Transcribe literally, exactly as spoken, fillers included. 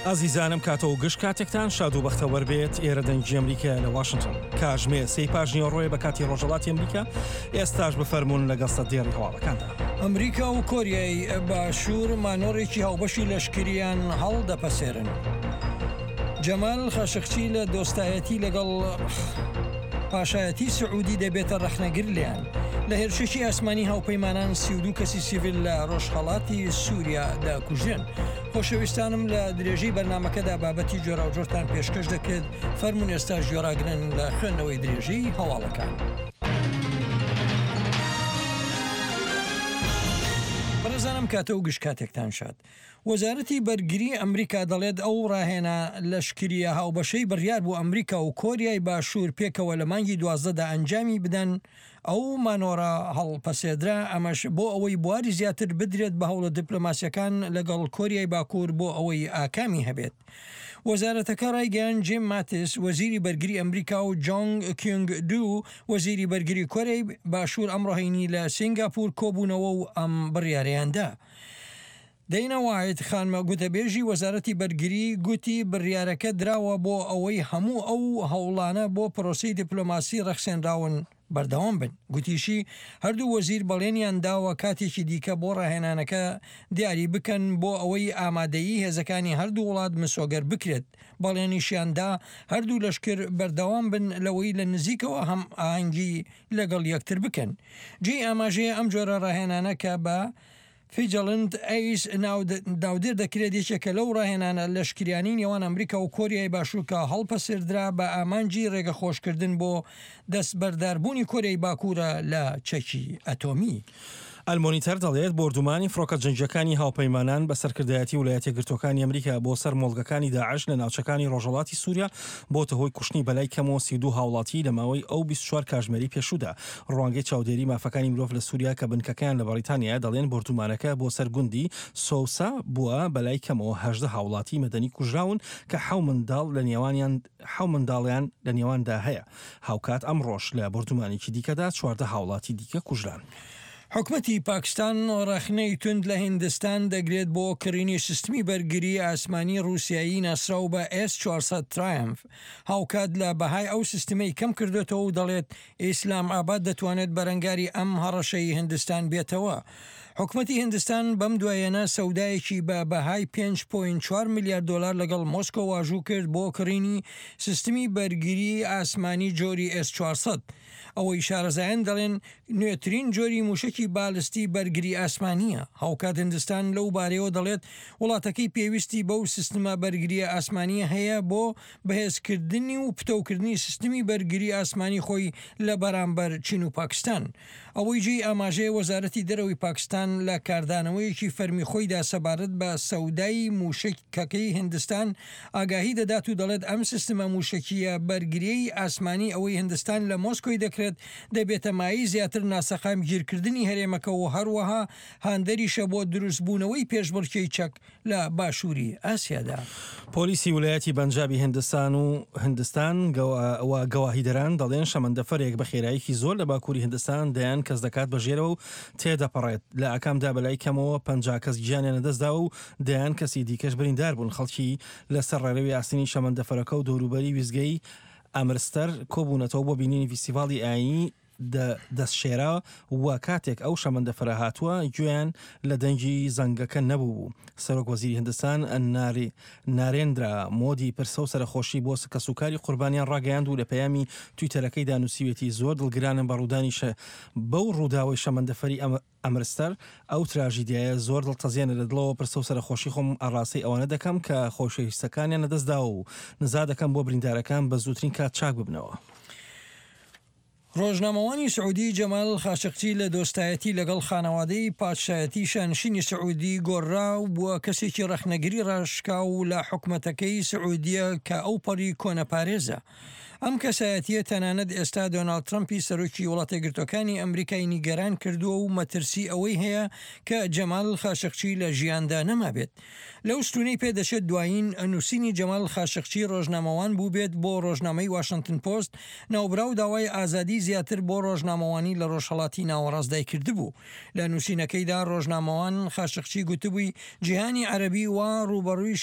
ئازیزانم کاتە و گشت کاتێکتان شاد و بەختەوەر بێت. ئێرە دەنگی ئەمریکا لە واشنگتۆن، کاژمێر سێی پاش نیوەڕۆیە بە کاتی ڕۆژهەڵاتی ئەمریکا. ئێستاش بفەرموون لەگەڵ سەدێڕی هەواڵەکاندا. ئەمریکا و کۆریای باشوور مانۆڕێکی هاوبەشی لەشکریان هەڵدەپەسێرن. جەمال خاشقچی لە دۆستایەتی لەگەڵ پاشایەتی سعودی دەبێتە ڕەخنەگر لێیان. لە هێرشێکی ئاسمانی هاوپەیمانان سی و دوو کەسی سیڤیل لە ڕۆژهەڵاتی سووریا دەکوژرێن. خۆشەویستانم لە درێژەی بەرنامەکەدا بابەتی جۆراوجۆرتان پێشکەش دەکرێت. فەرموون ئێستاش گوێڕاگرن لە خوێندنەوەی درێژەی هەواڵەکان. بەڕێزانم کاتە و گشت کاتێکتان شاد. وەزارەتی بەرگری ئەمریکا دەڵێت ئەو ڕاهێنا لەشکریە هاوبەشەی بڕیار بوو ئەمریکا و کۆریای باشوور پێکەوە لە مانگی دوازدەدا ئەنجامی بدەن، ئەو مانۆڕە هەڵپەسێدرا، ئەمەش بۆ ئەوەی بواری زیاتر بدرێت بە هەوڵە دیپلۆماسیەکان لەگەڵ کۆریای باکوور بۆ ئەوەی ئاکامی هەبێت. وەزارەتەکە ڕایگەیاند جیم ماتیس وەزیری بەرگری ئەمریکا و جۆنگ کیونگ دوو وەزیری بەرگری کۆریای باشوور ئەمڕۆ هەینی لە سینگاپور کۆبوونەوە و ئەم بڕیارەیاندا. دەینا وایت خانمە گوتەبێژی وەزارەتی بەرگری گوتی بڕیارەکە دراوە بۆ ئەوەی هەموو ئەو هەوڵانە بۆ پرۆسەی دیپلۆماسی ڕەخسێنراون بەردەوام بن. گوتیشی هەردوو وەزیر بەڵێنیان داوە کاتێکی دیکە بۆ ڕاهێنانەکە دیاری بکەن بۆ ئەوەی ئامادەیی هێزەکانی هەردوو وڵات مسۆگەر بکرێت. بەڵێنیشیاندا هەردوو لەشکر بەردەوام بن لەوەی لە نزیکەوە هەم ئاهەنگی لەگەڵ یەکتر بکەن. جێی ئاماژەیە ئەم جۆرە ڕاهێنانە کە بە فیجەڵند ئەیس ناودێر دەکرێت یەکێکە لەو ڕاهێنانە لەشکریانی نێوان ئەمریکا و کۆریای باشوور کە هەڵپەسێردرا بە ئامانجی ڕێگەخۆشکردن بۆ دەستبەرداربوونی کۆریای باکوورە لە چەکی ئەتۆمی. ئەلمۆنیتەر دەڵێت بۆردومانی فڕۆکە جەنگیەکانی هاوپەیمانان بە سەرکردایەتی ویلایەتە یەکگرتووەکانی ئەمریکا بۆ سەر مۆڵگەکانی داعش لە ناوچەکانی ڕۆژهەڵاتی سووریا بۆتە هۆی کوشتنی بەلای کەمەوە سی و دوو هاوڵاتی لە ماوەی ئەو بیست و چوار کاژمێری پێشوودا. ڕوانگەی چاودێری مافەکانی مرۆڤ لە سووریا کە بنکەکەیان لە بەریتانیا دەڵێن بۆردومانەکە بۆ سەر گوندی سۆسا بووە بەلای کەمەوە هەژدە هاوڵاتی مەدەنی کوژراون کە حەو منداڵ لە نێوانیان حەو منداڵیان لە نێواندا هەیە. هاوکات ئەمڕۆش لە بۆردومانێکی دیکەدا چواردە هاوڵاتی دیکە کوژران. حکومەتی پاکستان ڕەخنەی توند لە هیندستان دەگرێت بۆ کڕینی سیستمی بەرگری ئاسمانی ڕووسیایی ناسراو بە ئێس چوار سەد ترایەمف. هاوکات لە بەهای ئەو سیستمەی کەم کردوێتەوە و دەڵێت ئیسلام ئاباد دەتوانێت بەرەنگاری ئەم هەڕەشەی هندستان بێتەوە. حکومەتی هندستان بەم دوایەنە سەودایەکی بە بەهای پێنج پۆینت چوار ملیار دلار لەگەڵ مۆسکۆ واژوو کرد بۆ کڕینی سیستمی بەرگری ئاسمانی جۆری ئێس چوار سەد. ئەوەی شارەزایان دەڵێن نوێترین جۆری موشکی بالستی بەرگری ئاسمانیە. هاوکات هندستان لەو بارەیەوە دەڵێت وڵاتەکەی پێویستی بەو سیستمە بەرگریە ئاسمانیە هەیە بۆ بەهێزکردنی و پتەوکردنی سیستمی بەرگری ئاسمانی خۆی لە بەرامبەر چین و پاکستان. ئەوەی جێی ئاماژەیە وەزارەتی دەرەوەی پاکستان لە کاردانەوەیەکی فەرمی خۆیدا سەبارەت بە سەودای موشکەکەی هندستان ئاگاهی دەدات و دەڵێت ئەم سیستمە موشکیە بەرگریی ئاسمانی ئەوەی هندستان لە مۆسکۆی دەکرێت دەبێتە مایەی زیاتر ناسەقامگیرکردنی هەرێمەکە و هەروەها هاندەریشە بۆ دروستبوونەوەی پێشبڕکێی چەک لە باشووری ئاسیادا. پۆلیسی ویلایەتی بەنجابی هندستان و هندستان و گەواهیدەران دەڵێن شەمەندەفەرێک بە خێراییەکی زۆر لە باکووری هندستان دەیان کەس دەکات بە ژێرەوە و تێدەپەڕێت. لە ئاکامدا بەلای کەمەوە پەنجا کەس گیانیان لەدەستداوە و دەیان کەسی دیکەش بریندار بوون. خەڵکی لەسەر ڕێڕەوی ئاسنی شەمەندەفەرەکە و دەوروبەری ویزگەی ئەمرستەر کۆبوونەتەوە بۆ بینینی فیستیڤاڵی ئایینی دەستشێرا و کاتێک ئەو شەمەندەفەرە هاتووە گوێیان لە دەنگی زەنگەکە نەبوو. سەرۆک وەزیری هندستان نارێندرا مۆدی پرسە و سەرخۆشی بۆ کەسوکاری قوربانیان ڕاگەیاند و لە پەیامی تویتەرەکەیدا نووسیوێتی زۆر دڵگرانم بە ڕوودانی بەو ڕووداوەی شەمەندەفەری ئەمرستەر. ئەو تراژیدیایە زۆر دڵتەزێنە لە دڵەوە پرسە و سەرخۆشی خۆم ئاڕاستەی ئەوانە دەکەم کە خۆشەویستەکانیان لەدەستداوە و نزا دەکەم بۆ بریندارەکان بە زووترین کات چاک ببنەوە. ڕۆژنامەوانی سعودی جەمال خاشقچی لە دۆستایەتی لەگەڵ خانەوادەی پادشایەتی شانشینی سعودی گۆڕا و بووە کەسێکی ڕەخنەگری ڕاشکاو لە حکومەتەکەی سعودیە کە ئەو پەڕی کۆنەپارێزە. ئەم کەسایەتیە تەنانەت ئێستا دۆناڵد ترەمپی سەرۆکی وڵاتە یەکگرتووەکانی ئەمریکای نیگەران کردووە و مەترسی ئەوەی هەیە کە جەمال خاشقچی لە ژیاندا نەمابێت. لەو ستونەی پێدەچێت دوایین نووسینی جەمال خاشقچی ڕۆژنامەوان بوو بێت بۆ ڕۆژنامەی واشنگتن پۆست، ناوبراو داوای ئازادی زیاتر بۆ ڕۆژنامەوانی لە ڕۆژهەڵاتی ناوەڕاستدای کردبوو. لە نووسینەکەیدا ڕۆژنامەوان خاشقچی گوتبووی جیهانی عەرەبی وا ڕووبەڕووی